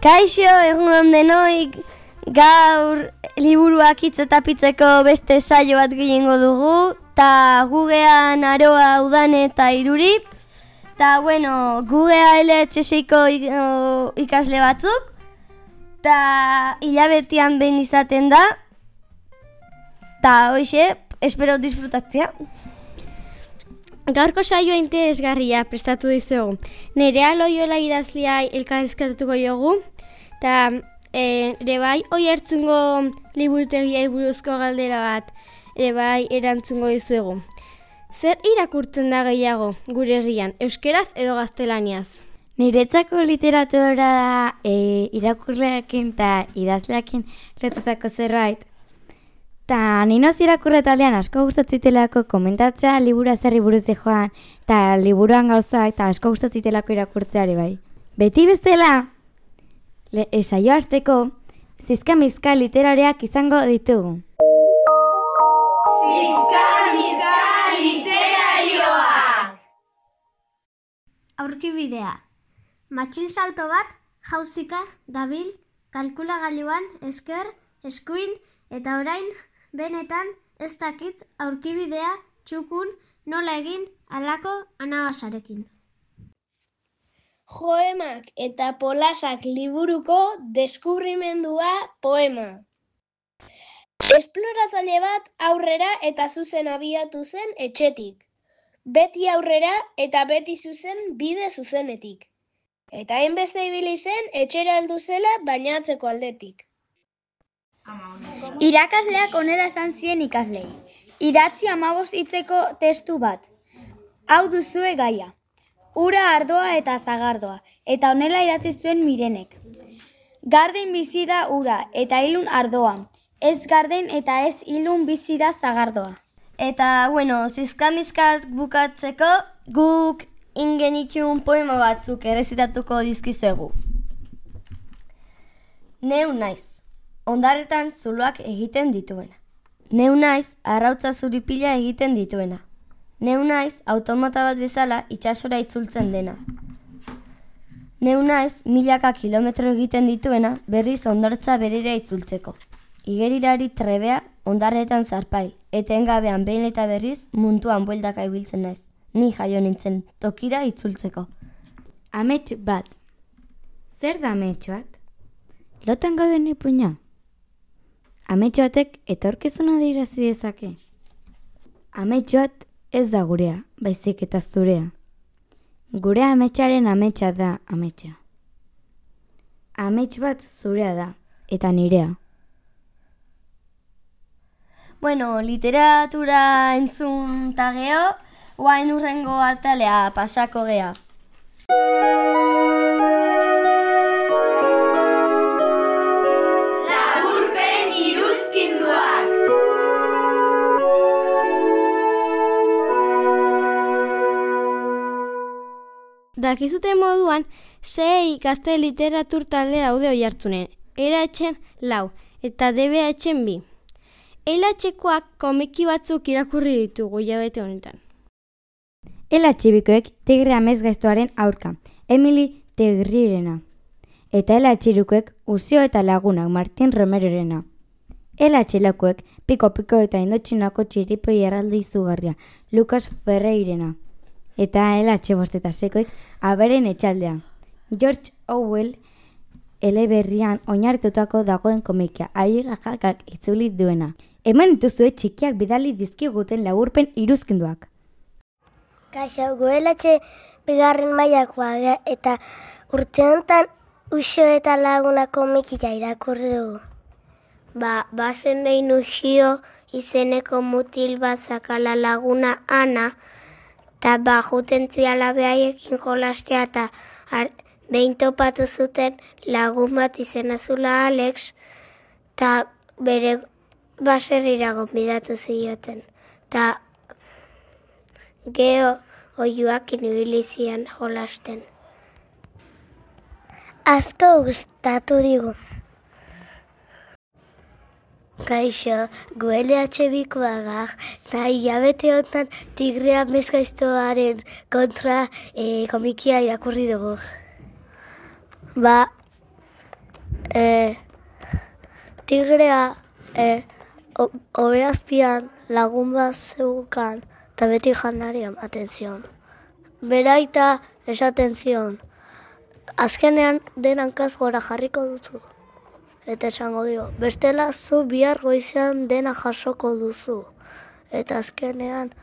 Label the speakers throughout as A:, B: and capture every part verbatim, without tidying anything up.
A: Kaixo, egun denoi, gaur liburuak hitz eta pitzeko beste saio bat gehiengo dugu, eta gugean Aroa, Udane eta Irurip, eta bueno, gugea L H seiko ikasle batzuk, eta hilabetean behin izaten da, eta hoxe, espero disfrutatzea.
B: Gaurko saioa interesgarria prestatu dizugu. Nerea Loiola idazlea elkarrizketatuko jogu, eta e, ere bai, oi hartzungo liburutegiai buruzko galdera bat ere bai erantzungo dizuegu. Zer irakurtzen da gehiago gure herrian, euskeraz edo gaztelaniaz?
C: Niretzako literatura da e, irakurleekin eta idazleekin lotutako zerbait. Ta ninoz irakurle taldean asko gustatzitelako komentatzea liburu zerri buruz joan, eta liburuan gauzak eta asko gustatzitelako irakurtzeari bai. Beti bezala, le, e, saio hasteko, zizka-mizka literariak izango ditugu.
D: Zizka-mizka literarioa!
E: Aurkibidea. Matxin salto bat, jauzika, dabil, kalkulagailuan, esker, eskuin, eta orain, benetan, ez dakit aurkibidea txukun nola egin alako anabasarekin.
F: Joemak eta polasak liburuko deskubrimendua poema. Esploratzaile bat aurrera eta zuzen abiatu zen etxetik. Beti aurrera eta beti zuzen bide zuzenetik. Eta hainbeste ibili zen etxera heldu zela bainatzeko aldetik.
G: Irakasleak onera esan zien ikaslei. Idatzi hamabost hitzeko testu bat. Hau duzue gaia. Ura, ardoa eta zagardoa. Eta honela idatzi zuen Mirenek. Garden bizi da ura eta ilun ardoa. Ez garden eta ez ilun bizi da zagardoa.
A: Eta, bueno, zizkamizkat bukatzeko guk ingenitun poema batzuk errezitatuko dizkizuegu. Neu naiz. Ondarretan zuloak egiten dituena. Neu naiz, arrautza zuripila egiten dituena. Neu naiz, automata bat bezala itsasora itzultzen dena. Neu naiz, milaka kilometro egiten dituena berriz ondartza berera itzultzeko. Igerirari trebea ondarretan zarpai, etengabean behin eta berriz munduan bueltaka ibiltzen naiz. Ni jaio nintzen tokira itzultzeko.
C: Amets bat. Zer da amets bat? Lotan gauden ipuina? Amets batek etorkizuna adierazten dezake. Amets bat ez da gurea, baizik eta zurea. Gure ametsaren ametsa da ametsa. Amets bat zurea da, eta nirea.
A: Bueno, literatura entzun ta geho, guain urrengo atalea pasako gea.
B: Dakizute moduan, sei gazte literatur talde daude oihartzunen, L H lau eta D B H bi. L H-koak komiki batzuk irakurri ditugu hilabete honetan.
C: L H bikoek Tigre amesgaiztoaren aurka, Emily Tegrirena. Eta L H hirukoek Uzio eta lagunak Martin Romerorena. L H laukoek Piko Piko eta Indotxinako txiripoi erralde izugarria, Lucas Ferreirena. Eta L H bost eta seikoek Aberen etxaldea. George Orwell eleberrian oinarritutako dagoen komikia, Aiera jakak itzuli duena. Hemen dituzue txikiak bidali dizkiguten laburpen iruzkinduak.
H: Kaixo, gu L H bigarren mailakoa eta urte honetan Uxo eta laguna komikia irakurri dugu. Ba, bazen behin Uxio izeneko mutil bat zakala laguna Ana, eta ba, juten ziala behaiekin jolastea eta behin topatu zuten lagun bat izena zula Alex, eta bere baserrira gonbidatu zioten. Eta geho oiuak inibili zian jolasten. Asko gustatu digu. Kaixo, gu L H bikoagak, eta hilabete honetan Tigre amesgaiztoaren kontra e, komikia irakurri dugu. Ba, e, tigrea e, obeazpian lagun bat zeukan eta beti janari ematen zion. Beraita esaten zion, azkenean den hankaz gora jarriko duzu. Eta esango dio, bestela zu bihar goizean dena jasoko duzu. Eta azkenean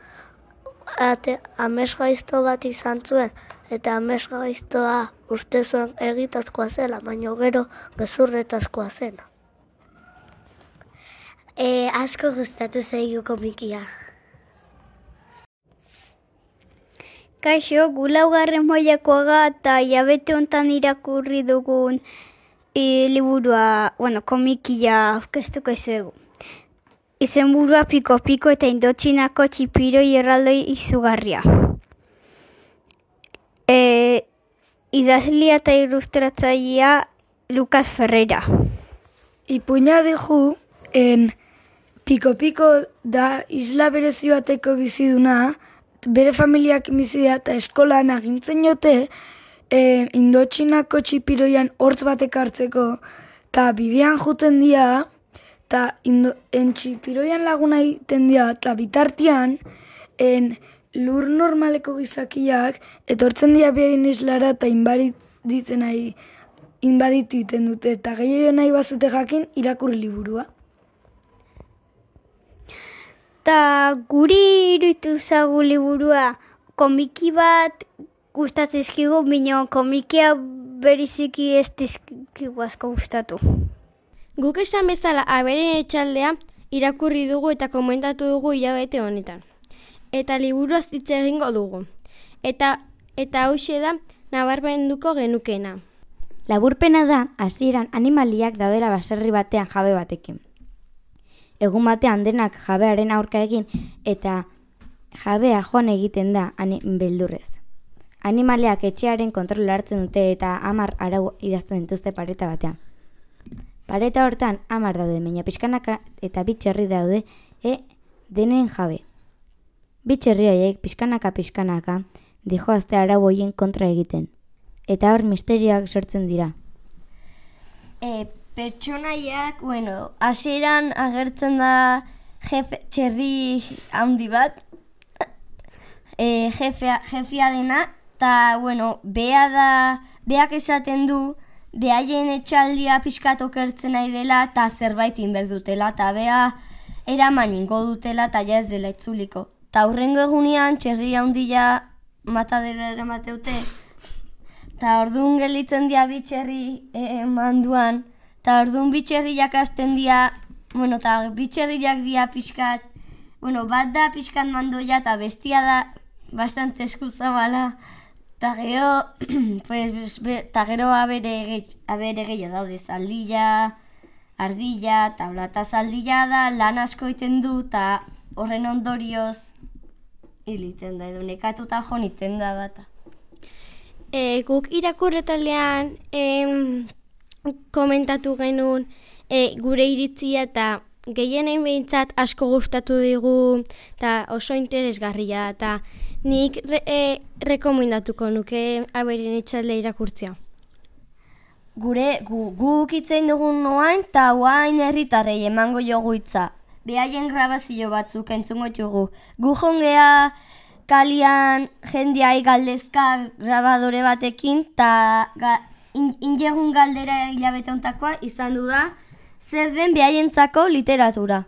H: ate, amesgaizto bat izan zuen, eta amesgaiztoa uste zuen egitazkoa zela, baina gero gezurretazkoa zena. E, asko gustatu zaigu komikia.
D: Kaixo, gu laugarren mailakoaga eta hilabete hontan irakurri dugun e, liburua, bueno, komikia aurkeztuko izuegu. Izenburua Piko Piko eta Indotxinako txipiroi erraldoi izugarria. E, idazlia eta ilustratzailea Lucas Ferreira.
I: Ipuina dugu, en Piko Piko da isla berezi bateko biziduna, bere familiak bizi da eta eskolan agintzen jote, e, Indotxinako txipiroian hortz batek hartzeko, eta bidean juten dira, eta en txipiroian laguna egiten dira, eta bitartian, en lur normaleko gizakiak, etortzen dira behin islara eta inbaditzen nahi, inbaditu iten dute, eta gehiago nahi bazute jakin irakurri liburua.
D: Ta guri iruditu zagu liburua komiki bat gustatzezkigu, bino komikia beriziki ez dizkigu asko gustatu.
B: Guk esan bezala aberen etxaldea irakurri dugu eta komentatu dugu hilabete honetan. Eta liburuaz hitz egingo dugu. Eta eta hauxe da nabarmenduko genukena.
C: Laburpena da hasieran animaliak daudela baserri batean jabe batekin. Egun batean denak jabearen aurka egin eta jabea joan egiten da beldurrez. Animaliak etxearen kontrola hartzen dute eta hamar arau idazten dituzte pareta batean. Pareta hortan hamar daude, baina pixkanaka eta bi txerri daude e denen jabe. Bi txerri horiek pixkanaka pixkanaka dijoazte arau horien kontra egiten. Eta hor misterioak sortzen dira.
A: E, pertsonaiak, bueno, hasieran agertzen da jefe, txerri handi bat, e, jefea, jefia dena, eta, bueno, bea da, beak esaten du, behaien etxaldia pixkat okertzen nahi dela, eta zerbait inberdutela, eta bea eraman ingo dutela, eta ja ez dela itzuliko. Eta hurrengo egunean, txerri handia matadera eramateute, eta orduan gelitzen dia bitxerri e, manduan, eta orduan bitxerriak hasten dia, bueno, eta bitxerriak dia pixkat, bueno, bat da pixkat mandoia eta bestia da bastante eskuzabala, eta gero, pues, eta gero abere, abere gehiago daude, zaldilla, ardilla, tabla eta zaldilla da, lan asko iten du, eta horren ondorioz hiliten da, edo nekatuta jo niten da bata.
B: E, guk irakurretaldean em, komentatu genuen e, gure iritzia eta gehienen behintzat asko gustatu digu eta oso interesgarria eta nik re, e, rekomendatuko nuke aberen etxalde irakurtzea.
A: Gure gu, guk itzein dugun noain eta oain herritarrei emango jogu hitza. Behaien grabazio batzuk entzungo jugu. Gu jongea kalian jendeai galdezka grabadore batekin eta ga, in, injegun galdera hilabete hontakoa izan du da zer den behaientzako literatura.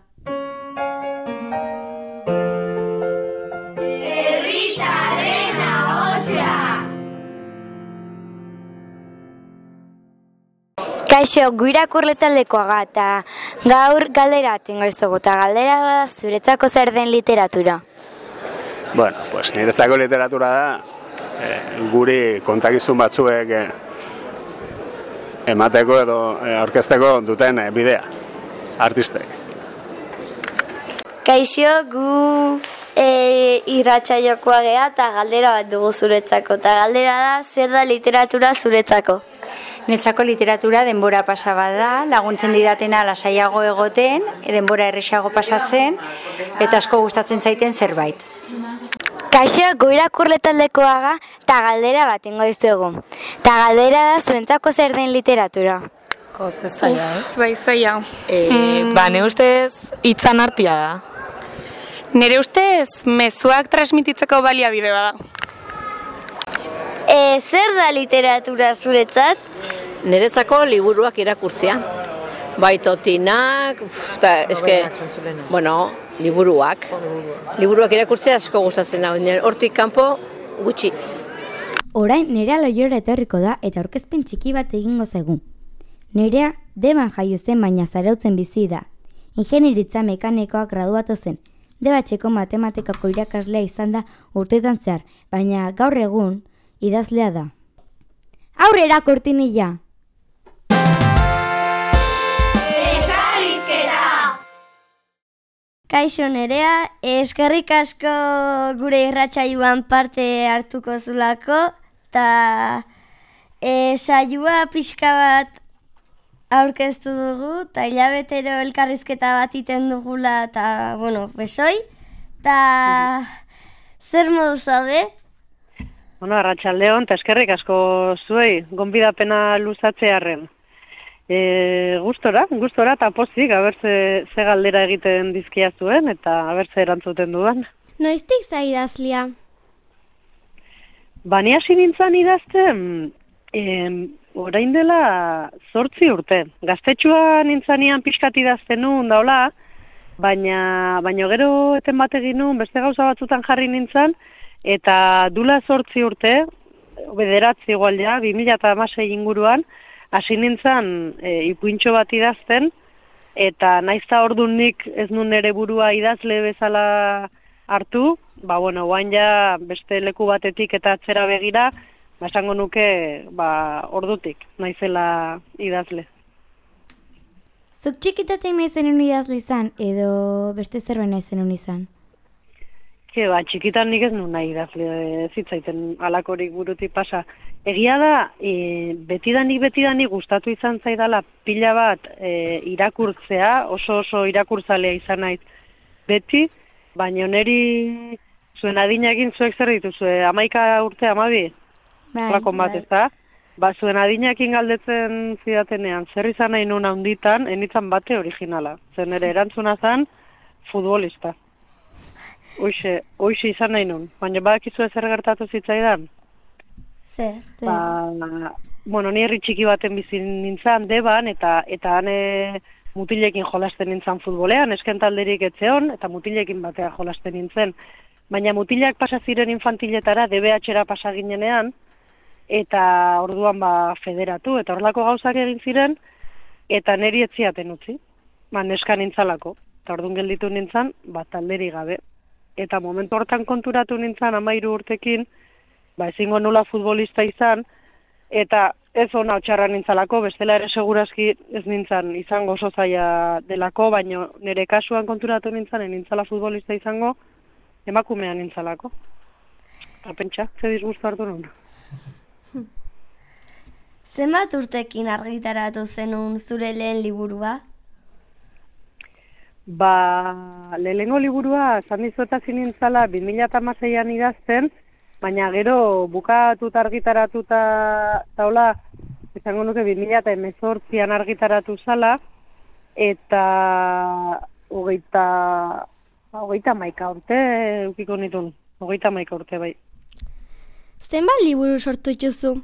G: Herritarren ahotsa.
C: Kaixo, gu irakurle taldekoaga eta gaur galdera atingo ez dugu, eta galdera bada zuretzako zer den literatura.
J: Bueno, pues niretzako literatura da eh, guri kontakizun batzuek eh, emateko edo eh, aurkezteko duten eh, bidea, artistek.
A: Kaixo, gu e, irratsaiokoa gea eta galdera bat dugu zuretzako. Eta galdera da zer da literatura zuretzako.
K: Netzako literatura denbora pasaba da, laguntzen didatena lasaiago egoten, denbora erresago pasatzen, eta asko gustatzen zaiten zerbait.
C: Kaixo, gu irakurle taldekoaga eta galdera bat ingo dizuegu. Eta galdera da zuentzako zer den literatura.
L: Jo, ze zaila, ez?
M: Bai, zaila.
L: E,
M: Mm.
L: Ba, ne ustez, hitzan artia da.
M: Nire ustez, mezuak transmititzeko baliabide bada.
A: E, zer da literatura zuretzat?
N: Niretzako liburuak irakurtzea. Baitotinak, eta eske, bueno, liburuak. Liburuak irakurtzea asko gustatzen da, hortik kanpo gutxi.
C: Orain Nerea Loiora etorriko da eta aurkezpen txiki bat egingo zaigu. Nerea Deban jaio zen baina Zarautzen bizi da. Ingenieritza mekanikoak graduatu zen. Debatxeko matematikako irakaslea izan da urteetan zehar, baina gaur egun idazlea da. Aurrera kortinilla!
A: Kaixo Nerea, eskerrik asko gure irratsaioan parte hartuko zulako, eta e, saioa pixka bat aurkeztu dugu, eta hilabetero elkarrizketa bat iten dugula, eta, bueno, besoi, eta zer modu zaude?
O: Bueno, arratsaldeon, eta eskerrik asko zuei, gonbidapena luzatzearren. E, gustora, gustora eta pozik, haber ze, ze galdera egiten dizkia zuen, eta haber ze erantzuten dudan.
B: Noiztik za idazlia?
O: Bani hasi nintzen idazten, em, orain dela zortzi urte. Gaztetxua nintzanean pixkat idazten nuen daula, baina, baina gero eten bat egin nuen, beste gauza batzutan jarri nintzen, eta dula zortzi urte, bederatzi igual ja, bi mila hamasei inguruan, hasi nintzen e, ipuintxo bat idazten, eta naizta orduan nik ez nun ere burua idazle bezala hartu, ba, bueno, guain ja beste leku batetik eta atzera begira, ba, esango nuke, ba, ordutik, naizela idazle.
C: Zuk txikitatik nahi zenun idazle izan, edo beste zerbait nahi zenun izan?
O: Ke, ba, txikitan nik ez nun nahi idazle zitzaiten alakorik burutik pasa. Egia da, e, betidanik betidanik gustatu izan zaidala pila bat e, irakurtzea, oso oso irakurtzalea izan naiz beti, baina neri zuen adinakin zuek zer dituzue, hamaika urte, hamabi?
C: Bai,
O: Lakon bat,
C: bai.
O: ez da? Ba, zuen adinakin galdetzen zidatenean, zer izan nahi nun handitan, enitzan bate originala. Zen ere erantzuna zen, futbolista. Hoixe, hoixe izan nahi nun, baina badakizu zer gertatu zitzaidan?
A: Zer?
O: Ba, bueno, ni herri txiki baten bizi nintzen Deban, eta eta hane mutilekin jolasten nintzen futbolean, esken talderik etzeon, eta mutilekin batea jolasten nintzen. Baina mutilak pasa ziren infantiletara, D B H-era pasa ginenean, eta orduan ba federatu, eta horlako gauzak egin ziren, eta neri etziaten utzi, ba neska nintzalako, eta orduan gelditu nintzen, ba talderi gabe. Eta momentu hortan konturatu nintzen amairu urtekin, ba ezingo nula futbolista izan, eta ez ona otxarra nintzalako, bestela ere segurazki ez nintzen izango oso zaila delako, baina nire kasuan konturatu nintzen, nintzala futbolista izango, emakumean nintzalako. Eta pentsa, ze disgustu hartu nuen.
A: Zenbat urtekin argitaratu zenun zure lehen liburua?
O: Ba, lehenengo liburua zandizueta zinintzala bi mila hamaseian idazten, baina gero bukatuta argitaratuta taula, izango nuke bi mila hemezortzian argitaratu zala, eta hogeita, hogeita maika urte eukiko nitun, hogeita maika urte bai.
B: Zenbat liburu sortu dituzu?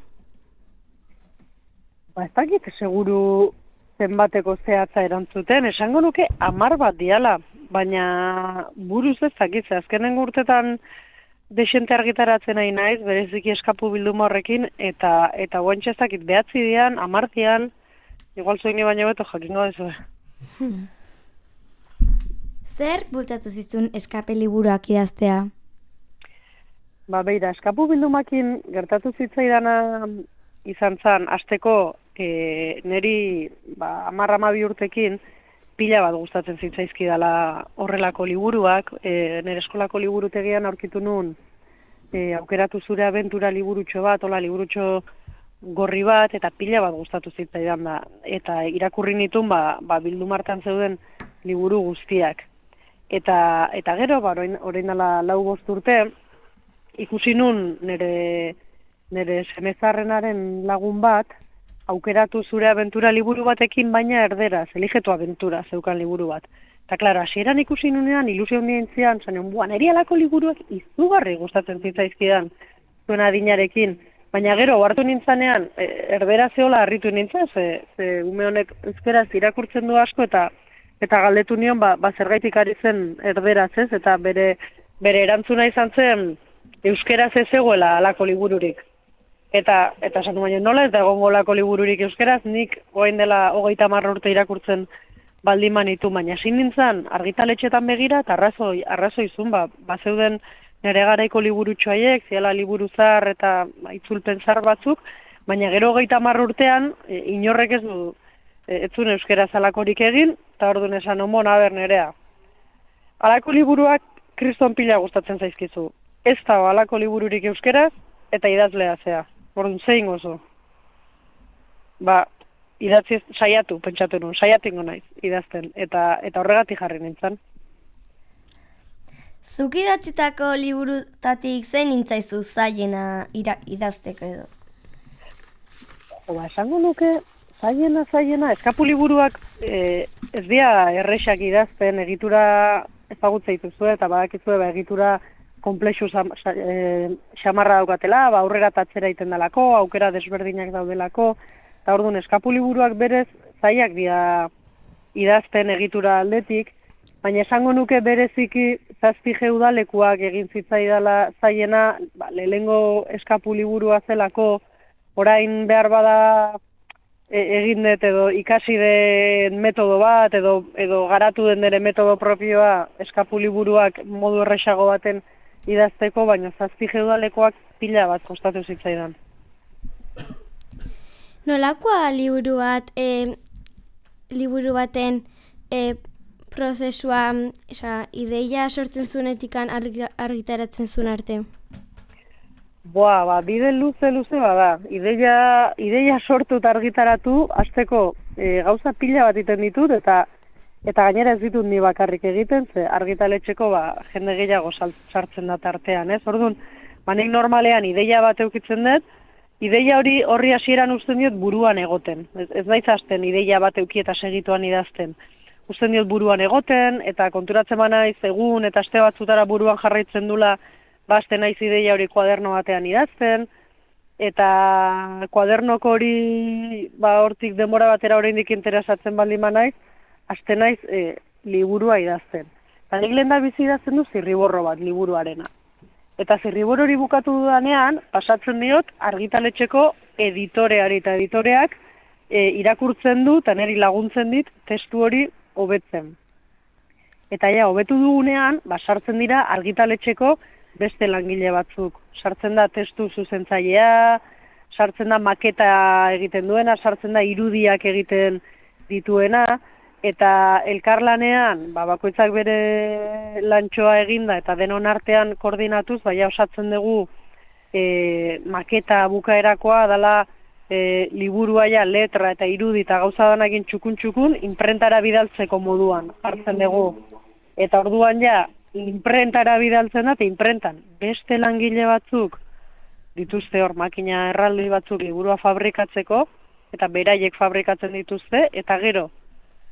O: Ba, ez dakit seguru zenbateko zehatza erantzuten, esango nuke hamar bat diala, baina buruz ez dakit, ze azkenengo urtetan desente argitaratzen nahi naiz, bereziki eskapu bilduma horrekin, eta eta guantxe ez dakit behatzi dian, hamar dian, igual zoini baino beto jakingo dezu.
C: Zer bultatu zizun eskape liburuak idaztea?
O: Ba, beira, eskapu bildumakin gertatu zitzaidana izan zan, hasteko e, neri ba, hamar hamabi urtekin pila bat gustatzen zitzaizkidala horrelako liburuak, e, nire eskolako liburutegian aurkitu nun e, aukeratu zure abentura liburutxo bat, hola liburutxo gorri bat, eta pila bat gustatu zitzaidan da. Eta irakurri nitun ba, ba bildumartan zeuden liburu guztiak. Eta, eta gero, ba, orain, orain dela lau bost urte, ikusi nun nire, nire semezarrenaren lagun bat, aukeratu zure abentura liburu batekin, baina erderaz, eligetu abentura zeukan liburu bat. Eta, klaro, hasieran ikusi nunean, ilusio handien zian, zanen, buan, erialako liburuak izugarri gustatzen zitzaizkidan zuen adinarekin. Baina gero, hartu nintzanean, erdera zehola harritu nintzen, ze, ze ume honek euskeraz irakurtzen du asko, eta eta galdetu nion, ba, ba zergaitik ari zen erderaz, ez? Eta bere, bere erantzuna izan zen, euskeraz ez egoela alako libururik. Eta, eta esan du baina nola ez da egongo alako libururik euskeraz, nik goain dela hogeita hamar urte irakurtzen baldin manitu, baina ezin nintzen argitaletxetan begira, eta arrazoi, arrazoizun, ba, ba zeuden nire garaiko liburutxo haiek, ziela liburu zar eta ba, itzulpen zar batzuk, baina gero hogeita hamar urtean, e, inorrek ez du, e, ez zuen euskeraz alakorik egin, eta orduan esan omon, aber nerea. Alako liburuak kriston pila gustatzen zaizkizu. Ez da alako libururik euskeraz, eta idazlea zea. Orduan, zein gozo. Ba, idatzi saiatu, pentsatu nuen, saiatingo naiz, idazten, eta eta horregatik jarri nintzen.
A: Zuk idatzitako liburutatik zein nintzaizu zaiena idazteko edo?
O: Ba, esango nuke, zaiena, zaiena, eskapu liburuak e, ez dira errexak idazten, egitura ezagutza dituzue, eta badakizue, ba, egitura komplexu xamarra daukatela, ba, aurrera tatzera iten dalako, aukera desberdinak daudelako, eta orduan eskapu liburuak berez zaiak dira idazten egitura aldetik, baina esango nuke bereziki zazpi geudalekuak egin zitzaidala zaiena, ba, lehengo eskapu liburua zelako, orain behar bada e, egin dut edo ikasi den metodo bat, edo, edo garatu den dere metodo propioa eskapu liburuak modu erresago baten idazteko, baina zazpi geudalekoak pila bat kostatu zitzaidan.
B: Nolakoa liburu bat, e, liburu baten e, prozesua, esa, ideia sortzen zuenetikan argitaratzen zuen arte?
O: Boa, ba, bide luze-luze bada. Ideia, ideia sortu eta argitaratu, hasteko e, gauza pila bat iten ditut, eta eta gainera ez ditut ni bakarrik egiten, ze argitaletxeko ba, jende gehiago sartzen da tartean, ez? Orduan, ba, nik normalean ideia bat eukitzen dut, ideia hori horri hasieran uzten diot buruan egoten. Ez, ez naiz hasten ideia bat euki eta segituan idazten. Uzten diot buruan egoten, eta konturatzen ba naiz egun eta aste batzutara buruan jarraitzen dula, baste naiz ideia hori kuaderno batean idazten, eta kuadernoko hori ba, hortik denbora batera oraindik interesatzen baldin ba naiz, haste naiz e, liburua idazten. Eta nik lehen da bizi idazten du zirriborro bat liburuarena. Eta zirriborro hori bukatu dudanean, pasatzen diot argitaletxeko editoreari eta editoreak e, irakurtzen du eta niri laguntzen dit testu hori hobetzen. Eta ja, hobetu dugunean, ba, sartzen dira argitaletxeko beste langile batzuk. Sartzen da testu zuzentzailea, sartzen da maketa egiten duena, sartzen da irudiak egiten dituena, eta elkarlanean, ba, bakoitzak bere lantxoa eginda eta denon artean koordinatuz, baina osatzen dugu e, maketa bukaerakoa dela e, liburua ja letra eta irudi eta gauza danakin txukun-txukun inprentara bidaltzeko moduan hartzen dugu. Eta orduan ja, inprentara bidaltzen da, eta inprentan beste langile batzuk dituzte hor makina erraldi batzuk liburua fabrikatzeko, eta beraiek fabrikatzen dituzte, eta gero,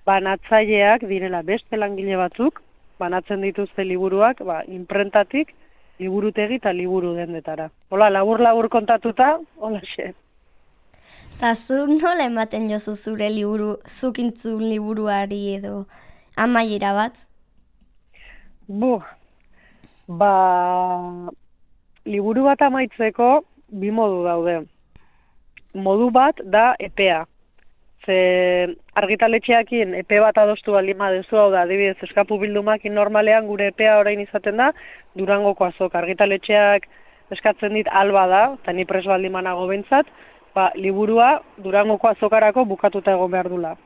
O: banatzaileak direla beste langile batzuk, banatzen dituzte liburuak, ba, inprentatik, liburutegi eta liburu dendetara. Hola, labur-labur kontatuta, hola xe.
A: Eta zuk nola ematen jozu zure liburu, zukintzun liburuari edo amaiera bat?
O: Bu, ba, liburu bat amaitzeko bi modu daude. Modu bat da epea. Ze argitaletxeakin epe bat adostu baldin baduzu, hau da, adibidez, eskapu bildumakin normalean gure epea orain izaten da Durangoko azok. Argitaletxeak eskatzen dit alba da, eta ni pres baldin banago behintzat, ba, liburua Durangoko azokarako bukatuta egon behar dula.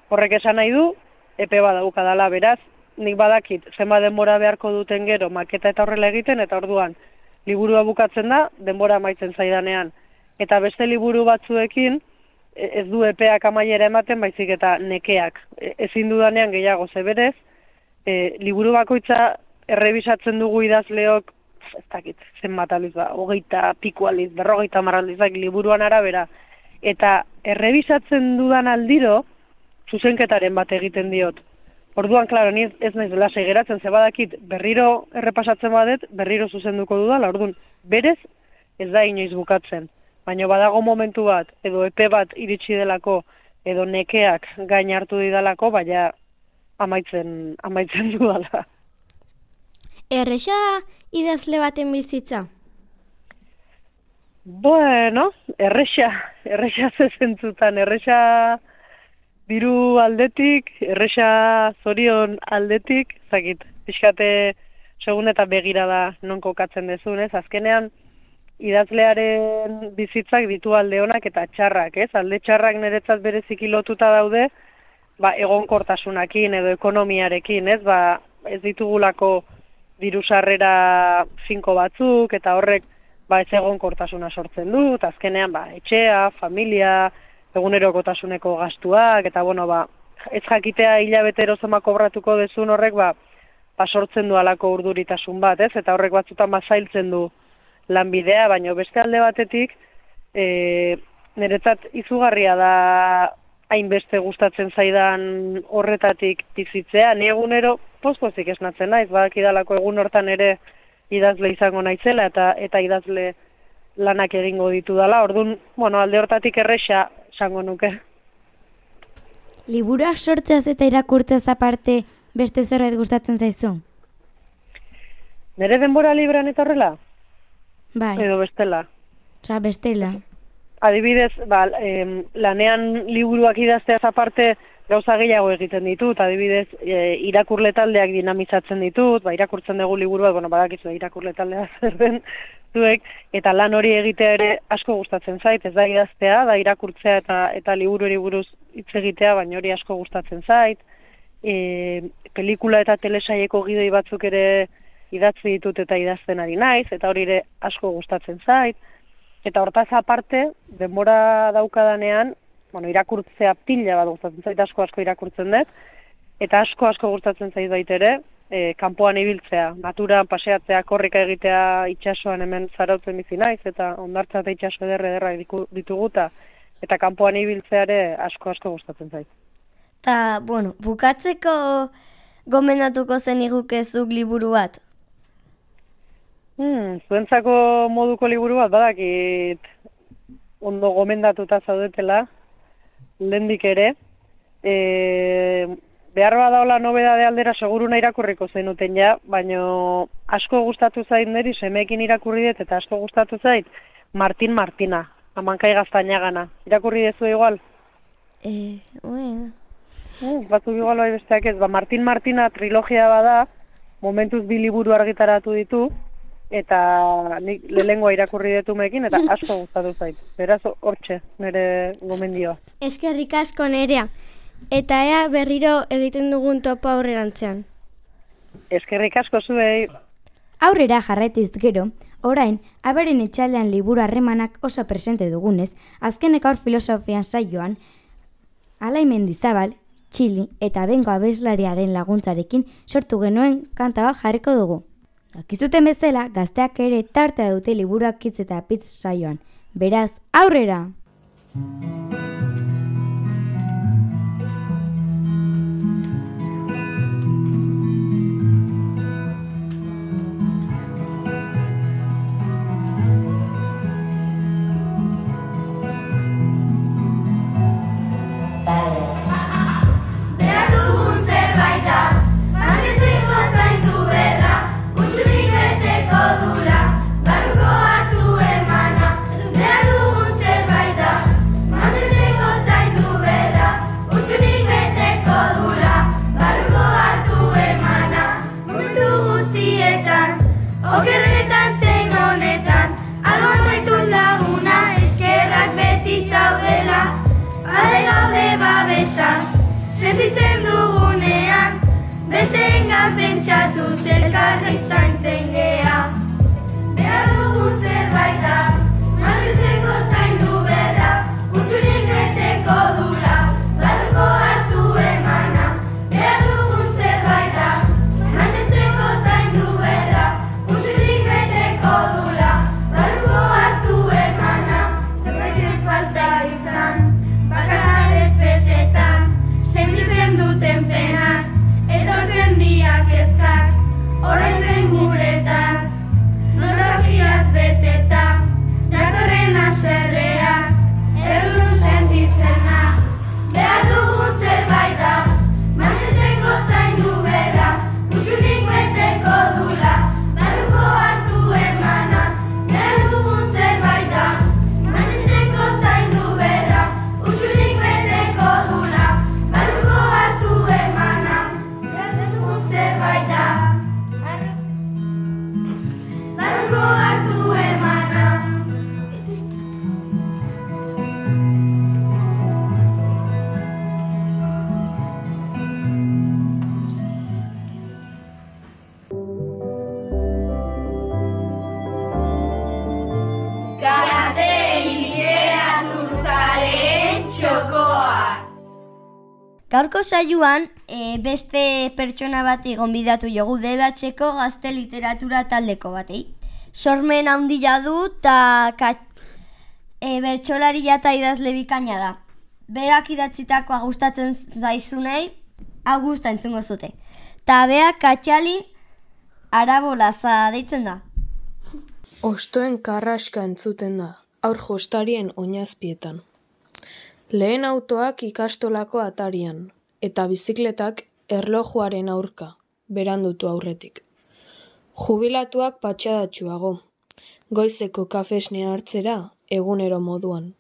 O: Horrek esan nahi du, epe bat daukadala, beraz, nik badakit, zenba denbora beharko duten gero, maketa eta horrela egiten, eta orduan, liburua bukatzen da, denbora amaitzen zaidanean. Eta beste liburu batzuekin, ez du epeak amaiera ematen, baizik eta nekeak. Ezin dudanean gehiago zeberez, e, liburu bakoitza errebisatzen dugu idazleok, ez dakit, zenbat aliz ba, hogeita piku aliz, berrogeita hamar aldizak liburuan arabera eta errebisatzen dudan aldiro, zuzenketaren bat egiten diot. Orduan, klaro, ni ez naiz lasai geratzen, ze badakit berriro errepasatzen badet, berriro zuzenduko dudala, orduan, berez ez da inoiz bukatzen. Baina badago momentu bat, edo epe bat iritsi delako, edo nekeak gain hartu didalako, baina amaitzen, amaitzen dudala.
B: Erresa idazle baten bizitza?
O: Bueno, erresa, erresa zezentzutan, erresa diru aldetik, erresa zorion aldetik, zakit, pixkate segun eta begira da non kokatzen dezun, ez? Azkenean, idazlearen bizitzak ditu alde honak eta txarrak, ez? Alde txarrak niretzat bereziki lotuta daude, ba, egonkortasunakin edo ekonomiarekin, ez? Ba, ez ditugulako diru sarrera finko batzuk, eta horrek ba, ez egonkortasuna sortzen dut, azkenean ba, etxea, familia, egunerokotasuneko gastuak, eta bueno, ba, ez jakitea hilabetero zoma kobratuko dezun horrek ba, ba, sortzen du alako urduritasun bat, ez? Eta horrek batzutan ba, zailtzen du lanbidea, baina beste alde batetik, e, niretzat izugarria da hainbeste gustatzen zaidan horretatik bizitzea, ni egunero poz-pozik esnatzen naiz, badakidalako egun hortan ere idazle izango naizela eta eta idazle lanak egingo ditu dala, orduan, bueno, alde hortatik erresa esango nuke.
C: Liburuak sortzeaz eta irakurtzeaz aparte beste zerbait gustatzen zaizu?
O: Nere denbora librean eta horrela?
C: Bai.
O: Edo bestela?
C: Osa, bestela.
O: Adibidez, ba, em, lanean liburuak idazteaz aparte gauza gehiago egiten ditut, adibidez, e, irakurle taldeak dinamizatzen ditut, ba, irakurtzen dugu liburuak, bueno, badakizu irakurle taldea zer den zuek, eta lan hori egitea ere asko gustatzen zait, ez da idaztea, da irakurtzea eta eta liburuari buruz hitz egitea, baina hori asko gustatzen zait. E, pelikula eta telesaieko gidoi batzuk ere idatzi ditut eta idazten ari naiz, eta hori ere asko gustatzen zait. Eta hortaz aparte, denbora daukadanean, bueno, irakurtzea pila bat gustatzen zait, asko asko irakurtzen dut, eta asko asko gustatzen zait baitere, e, kanpoan ibiltzea, naturan paseatzea, korrika egitea itsasoan hemen zarautzen bizi naiz, eta hondartza eta itsaso ederra ederra dituguta, eta kanpoan ibiltzea ere asko asko gustatzen zait.
A: Ta, bueno, bukatzeko gomendatuko zen igukezuk liburu bat?
O: Hmm, zuentzako moduko liburu bat, badakit ondo gomendatuta zaudetela, lehendik ere. E, behar badaola nobedade aldera seguruna irakurriko zenuten ja, baina asko gustatu zait niri, semeekin irakurri dut, eta asko gustatu zait Martin Martina, Amankai Gaztainagana. Irakurri dezu igual?
A: Eh, bueno...
O: Hmm, batzuk igual bai besteak ez, ba, Martin Martina trilogia bada, momentuz bi liburu argitaratu ditu, eta nik lehengoa irakurri detumekin, eta asko gustatu zait. Beraz, hortxe, nire gomendioa.
B: Eskerrik asko Nerea, eta ea berriro egiten dugun topo aurrerantzean.
O: Eskerrik asko zuei.
C: Aurrera jarraituz gero, orain, aberen etxaldean liburu harremanak oso presente dugunez, azkenek aur filosofian saioan, Alain Mendizabal, Txili eta Bengo abeslariaren laguntzarekin sortu genuen kanta bat jarriko dugu. Akizuten bezala, gazteak ere tartea dute liburuak hitz eta pitz saioan. Beraz, aurrera!
P: Sentitzen dugunean, besteengan pentsatu zelkarra iztaintzen gea. Behar dugu zerbait da, mantentzeko zaindu berra, utxurik beteko dura, barruko hartu emana. Behar dugu zerbait da, mantentzeko zaindu berra, utxurik beteko dura, barruko hartu emana. Zerbaiten falta izan. oroitzen guretaz, nostalgiaz beteta, datorren haserreaz, errudun sentitzen naz, behar dugun zerbait da, mantentzeko zaindu berra, utxunik beteko dula, barruko hartu emana, behar dugun zerbait da, mantentzeko zaindu berra, utxunik beteko dula, barruko hartu emana, behar dugun zerbait da, barruko hartu emana.
A: Gaurko saioan, e, beste pertsona bati gonbidatu jogu D B Hko gazte literatura taldeko batei. Sormen handia du eta e, bertsolaria eta idazle bikaina da. Berak idatzitakoa gustatzen zaizunei, hau gusta entzungo zute. Ta beak Katxalin Arabolaza deitzen da.
Q: Ostoen karraska entzuten da, aur jostarien oinazpietan. Lehen autoak ikastolako atarian, eta bizikletak erlojuaren aurka, berandutu aurretik. Jubilatuak patxadatxuago, goizeko kafesnea hartzera egunero moduan.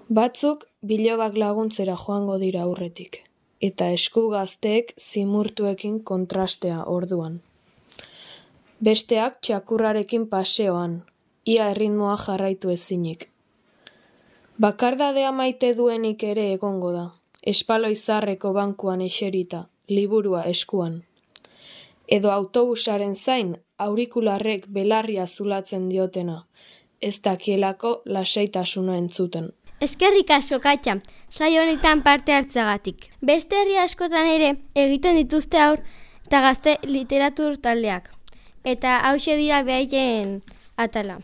Q: Batzuk bilobak laguntzera joango dira aurretik, eta esku gazteek zimurtuekin kontrastea orduan. Besteak txakurrarekin paseoan, ia erritmoa jarraitu ezinik. Bakardadea maite duenik ere egongo da, espaloizarreko bankuan eserita, liburua eskuan. Edo autobusaren zain, aurikularrek belarria zulatzen diotena, ez dakielako lasaitasuna entzuten.
B: Eskerrik asko Katxa, saio honetan parte hartzagatik. Beste herri askotan ere egiten dituzte haur eta gazte literatur taldeak. Eta hauxe dira behaien atala.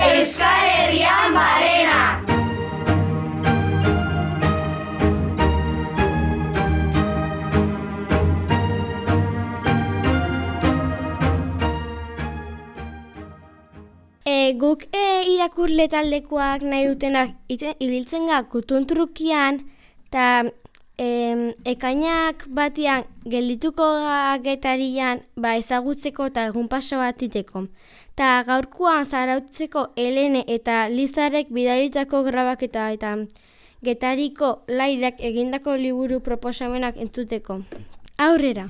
P: Euskal Herrian barrena!
B: E, guk e, irakurle taldekoak nahi dutenak ite, ibiltzen ga kutuntrukian eta e, ekainak batian geldituko getarian ba, ezagutzeko eta egun paso bat iteko. Ta gaurkoan zarautzeko Helene eta Lizarek bidalitako grabaketa eta Getariko Laidak egindako liburu proposamenak entzuteko. Aurrera!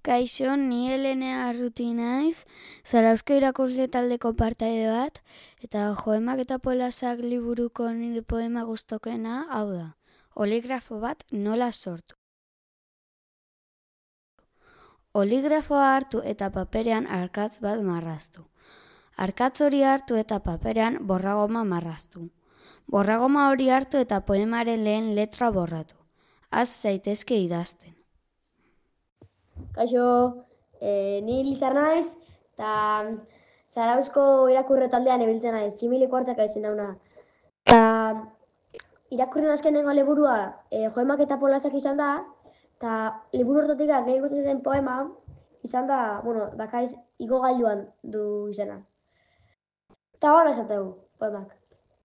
R: Kaixo, ni Helene Arruti naiz, Zarauzko irakurle taldeko partaide bat, eta Joemak eta Polasak liburuko nire poema guztokena hau da. Oligrafo bat nola sortu. Oligrafoa hartu eta paperean arkatz bat marraztu. Arkatz hori hartu eta paperean borragoma marraztu. Borragoma hori hartu eta poemaren lehen letra borratu. Az zaitezke idazten.
S: Kaixo, e, ni Lizar naiz, eta Zarauzko irakurre taldean ebiltzen naiz, tximiliko hartak aizen dauna. Eta irakurren azkenengo liburua e, Joemak eta Polasak izan da, eta liburu hortatik gehi gustatzen poema izan da, bueno, dakaiz igogailuan du izena. Eta hola esategu, poemak.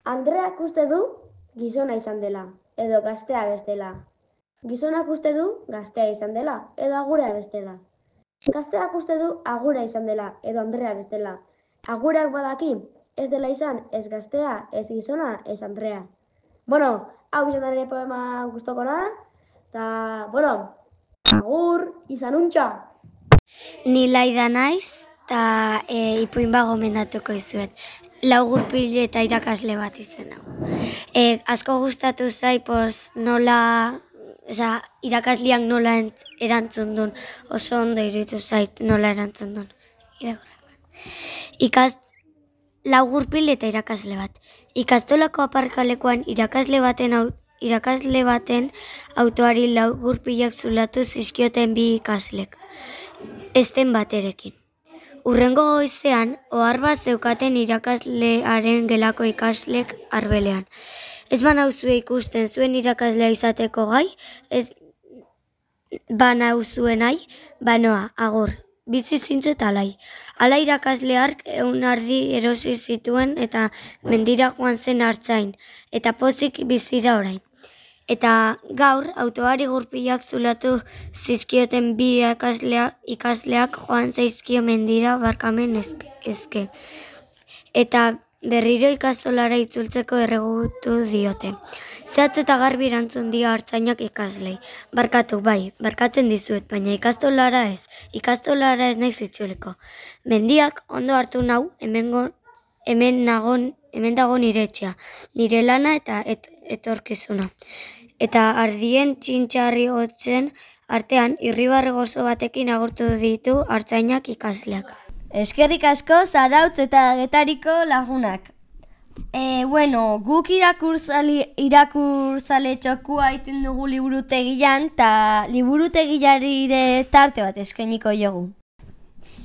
S: Andreak uste du gizona izan dela, edo gaztea bestela. Gizonak uste du gaztea izan dela, edo agurea bestela. Gazteak uste du agura izan dela, edo Andrea bestela. Agurak badaki, ez dela izan, ez gaztea, ez gizona, ez Andrea. Bueno, hau izan da nire poema guztokona, eta, bueno, agur, izan untxa!
H: Ni Laida naiz, eta e, ipuin bago mendatuko izuet. Lau gurpile eta irakasle bat izen hau. E, asko gustatu zai, pos, nola... Osa, irakasliak nola erantzun duen, oso ondo iruditu zait nola erantzun duen. Ikast, lau gurpil eta irakasle bat. Ikastolako aparkalekuan irakasle baten, irakasle baten autoari lau gurpilak zulatu zizkioten bi ikaslek. Ezten baterekin. Urrengo goizean, ohar bat zeukaten irakaslearen gelako ikaslek arbelean. Ez banauzue ikusten zuen irakaslea izateko gai, ez,
A: bana uzuen nahi, banoa, agur, bizi zintzu eta alai. Ala irakasle hark eun ardi erosi zituen eta mendira joan zen hartzain, eta pozik bizi da orain. Eta gaur, autoari gurpilak zulatu zizkioten bi ikasleak, ikasleak joan zaizkio mendira barkamen ezke. ezke. Eta berriro ikastolara itzultzeko erregutu diote. Zehatz eta garbi erantzun dio hartzainak ikaslei. Barkatu, bai, barkatzen dizuet, baina ikastolara ez. Ikastolara ez naiz itzuliko. Mendiak ondo hartu nau, hemengo, hemen nagon, hemen dago nire etxea, nire lana eta et, etorkizuna. Eta ardien txintxarri hotzen artean irribarre gozo batekin agurtu ditu hartzainak ikasleak.
E: Eskerrik asko Zarautz eta Getariko lagunak. E, bueno, guk irakurzale, irakurzale txokua egiten dugu liburutegian, eta liburutegilari tarte bat eskainiko jogu.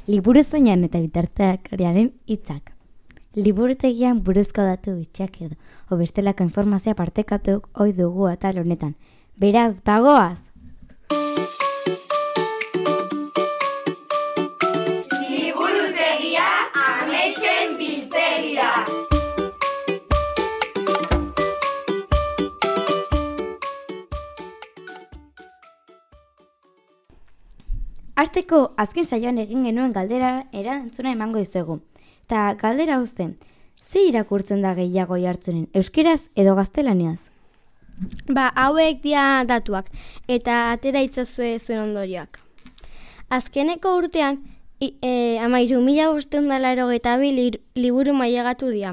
C: Liburu zoinan eta bitarteakariaren hitzak. Liburutegian buruzko datu bitxak edo, obestelako informazioa partekatuk ohi dugu atal honetan. Beraz, bagoaz!
P: Liburutegia ametsen biltegia.
C: Hasteko azken saioan egin genuen galdera erantzuna emango dizuegu. Ta galdera uzten, ze irakurtzen da gehiago jartzunen, euskeraz edo gaztelaniaz?
B: Ba, hauek dia datuak, eta atera itzazue zuen ondorioak. Azkeneko urtean, e, amairu mila bosteun da laro eta bi liburu mailagatu dira,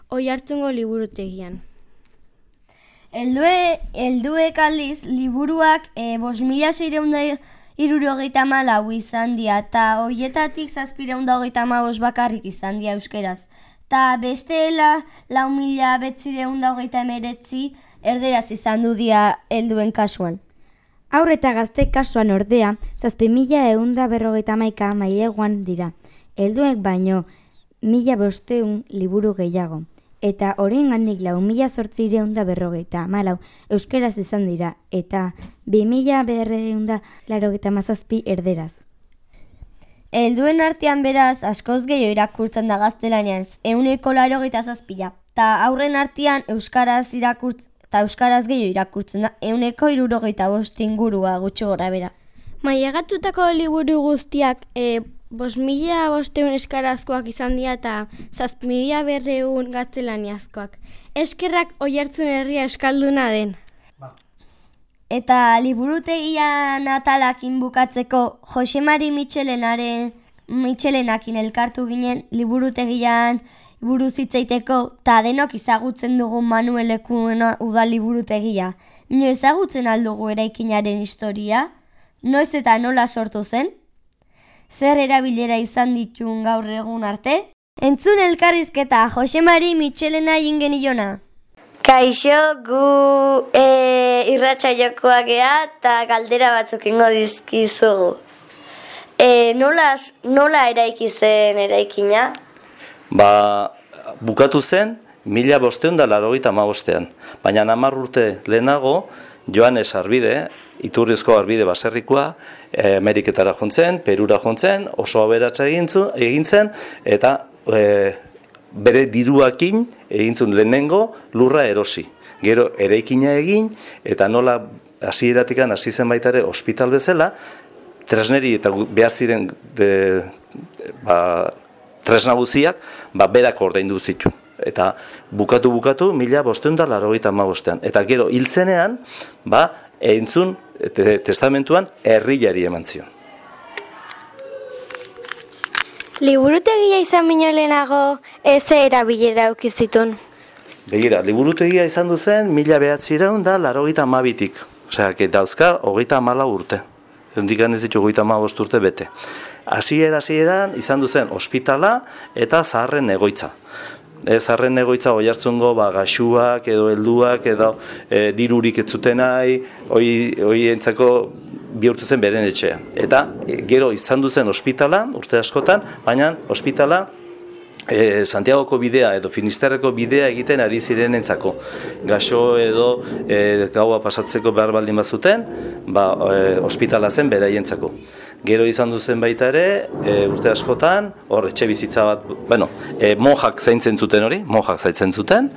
B: oi hartzungo liburutegian.
E: Eldue, elduek aldiz, liburuak e, bos mila seireun da irurogeita malau izan dira, eta horietatik zazpireun da hogeita amabos bakarrik izan dira euskeraz. Ta bestela lau mila betzireun da hogeita emeretzi erderaz izan du dira helduen kasuan.
C: Haur eta gazte kasuan ordea, zazpi mila eun da berrogeita hamaika maileguan dira. Helduek baino mila bosteun liburu gehiago. Eta horien gandik lau mila zortzireun da berrogeita hamalau euskeraz izan dira, eta bi mila berreun da larogeita mazazpi erderaz.
E: Helduen artean beraz, askoz gehiago irakurtzen da gaztelanian, euneko larogeita zazpila. Ta aurren artean euskaraz irakurtzen, eta euskaraz gehiago irakurtzen da, euneko irurogeita bost ingurua gutxi gora bera.
B: Mailegatutako liburu guztiak e, bos mila bosteun eskarazkoak izan dira eta zazpi mila berreun gaztelaniazkoak. Eskerrak oihartzun herria euskalduna den.
E: Eta liburutegian atalakin bukatzeko Josemari Mitxelenaren Mitxelenakin elkartu ginen liburutegian buruz hitzaiteko ta denok ezagutzen dugun Manuel Lekuona udal liburutegia. Nio ezagutzen aldugu eraikinaren historia? Noiz eta nola sortu zen? Zer erabilera izan ditun gaur egun arte? Entzun elkarrizketa Josemari Mitxelena ingeniona.
A: Kaixo, gu e, irratsaiokoak gea eta galdera batzuk ingo dizkizugu. E, nola, nola eraiki zen eraikina?
T: Ba, bukatu zen mila bosteun da larogeita hamabostean. Baina hamar urte lehenago, Joanes Arbide, iturrizko arbide baserrikoa, Ameriketara jontzen, Perura jontzen, oso aberatsa egin zen, eta e, bere diruakin egintzun lehenengo lurra erosi. Gero eraikina egin, eta nola hasieratikan hasi zen baita ere ospital bezala, tresneri eta behar ziren de, ba, tresna guziak, ba, berak ordaindu zitu. Eta bukatu-bukatu mila bosteun da larogeita hamabostean. Eta gero hiltzenean, ba, entzun te, testamentuan herrilari eman zion.
B: Liburutegia izan bino lehenago ez erabilera aukizitun?
T: Begira, liburutegia izan duzen mila behatzireun da larogeita hamabitik. Osea, dauzka hogeita hamalau urte. Hondikan ez ditu hogeita hamabost urte bete. Hasiera hasieran izan duzen ospitala eta zaharren egoitza. E, zaharren egoitza oihartzungo ba, gaxuak edo helduak edo e, dirurik ez zuten nahi, hoi entzako bihurtu zen beren etxea. Eta e, gero izan duzen ospitala, urte askotan, baina ospitala E, Santiagoko bidea edo Finisterreko bidea egiten ari zirenentzako. Gaxo edo e, gaua pasatzeko behar baldin bazuten, ba, e, ospitala zen beraientzako. Gero izan duzen baita ere, e, urte askotan, hor etxe bizitza bat, bueno, e, monjak zaintzen zuten hori, monjak zaintzen zuten,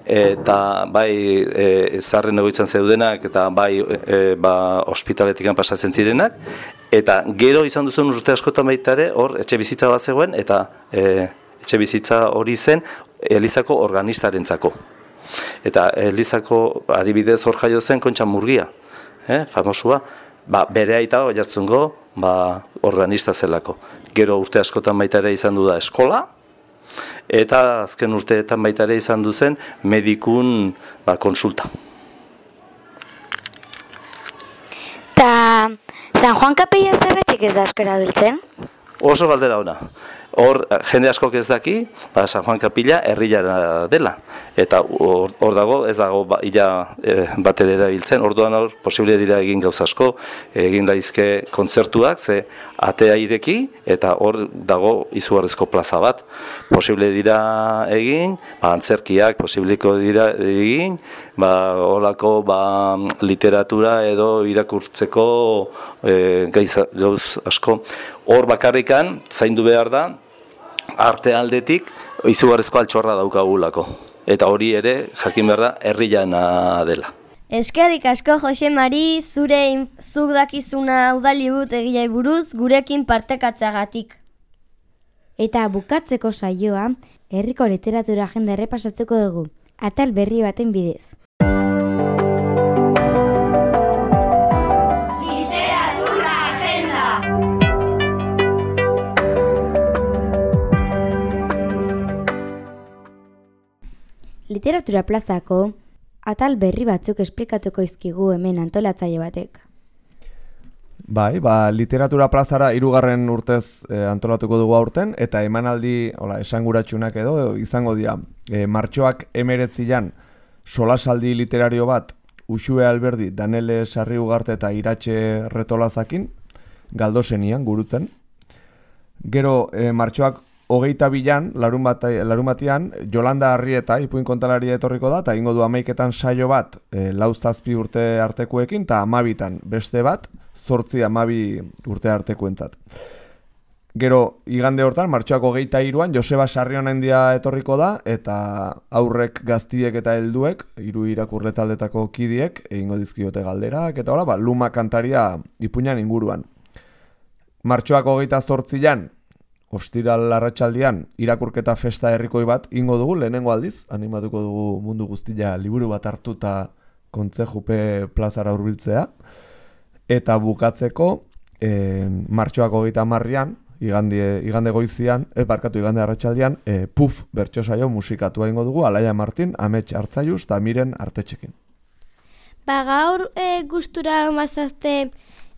T: eta bai e, zarren egoitzan zeudenak eta bai e, ba, ospitaletikan pasatzen zirenak, eta gero izan duzen urte askotan baita ere, hor etxe bizitza bat zegoen, eta e, etxe bizitza hori zen Elizako organistarentzako. Eta Elizako adibidez hor jaio zen Kontxa Murgia, eh, famosua, ba, bere aita Oiartzungo ba, organista zelako. Gero urte askotan baita ere izan du da eskola, eta azken urteetan baita ere izan du zen medikun ba, konsulta.
R: Ta San Juan Kapilla zergatik ez da askera biltzen?
T: Oso galdera ona. Hor, jende askok ez daki, ba, San Juan Kapilla herriara dela. Eta hor, hor dago, ez dago ba, ila e, batera erabiltzen. Orduan hor, posible dira egin gauza asko, egin daizke kontzertuak, ze atea ireki, eta hor dago izugarrizko plaza bat. Posible dira egin, ba, antzerkiak, posibliko dira egin, ba, holako ba, literatura edo irakurtzeko e, gaiza, gauz asko. Hor bakarrikan, zaindu behar da, arte aldetik izugarrizko altxorra daukagulako. Eta hori ere, jakin behar da, herriana dela.
A: Eskerrik asko Jose Mari, zure zuk dakizuna udalibut egiai buruz gurekin partekatzeagatik.
C: Eta bukatzeko saioa, herriko literatura agenda errepasatzeko dugu, atal berri baten bidez. Literatura plazako atal berri batzuk esplikatuko izkigu hemen antolatzaile batek.
U: Bai, ba, literatura plazara hirugarren urtez e, antolatuko dugu aurten, eta emanaldi hola, esanguratsunak edo izango dira. E, martxoak emeretzian solasaldi literario bat Uxue Alberdi, Danele Sarri Ugarte eta Iratxe Retolazakin, Galdosenian, gurutzen. Gero, e, martxoak hogeita bilan, larun, bat, larun batian, Jolanda Arrieta, ipuin kontalaria etorriko da, eta ingo du hamaiketan saio bat, e, lau zazpi urte artekoekin, eta hamabitan beste bat, zortzi hamabi urte artekoentzat. Gero, igande hortan, martxoak hogeita hiruan, Joseba Sarrionendia etorriko da, eta aurrek gaztiek eta helduek, hiru irakurle taldetako kidiek, egingo dizkiote galderak, eta hola, ba, Luma kantaria ipuinan inguruan. Martxoak hogeita zortzian, ostiral arratsaldian irakurketa festa herrikoi bat ingo dugu, lehenengo aldiz, animatuko dugu mundu guztia liburu bat hartuta kontzejupe plazara hurbiltzea. Eta bukatzeko, e, martxoak hogeita hamarrean, igande, igande goizian, e, barkatu igande arratsaldian, e, Puf bertsosaio musikatua ingo dugu, Alaia Martin, Amets Artzaiuz eta Miren Artetxekin.
B: Ba gaur e, gustura mazazte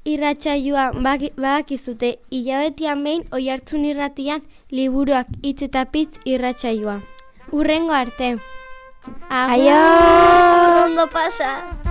B: irratsaioa badakizute, hilabetian behin Oiartzun irratian liburuak hitz eta pitz irratsaioa. Hurrengo arte.
A: Aio! Ondo pasa!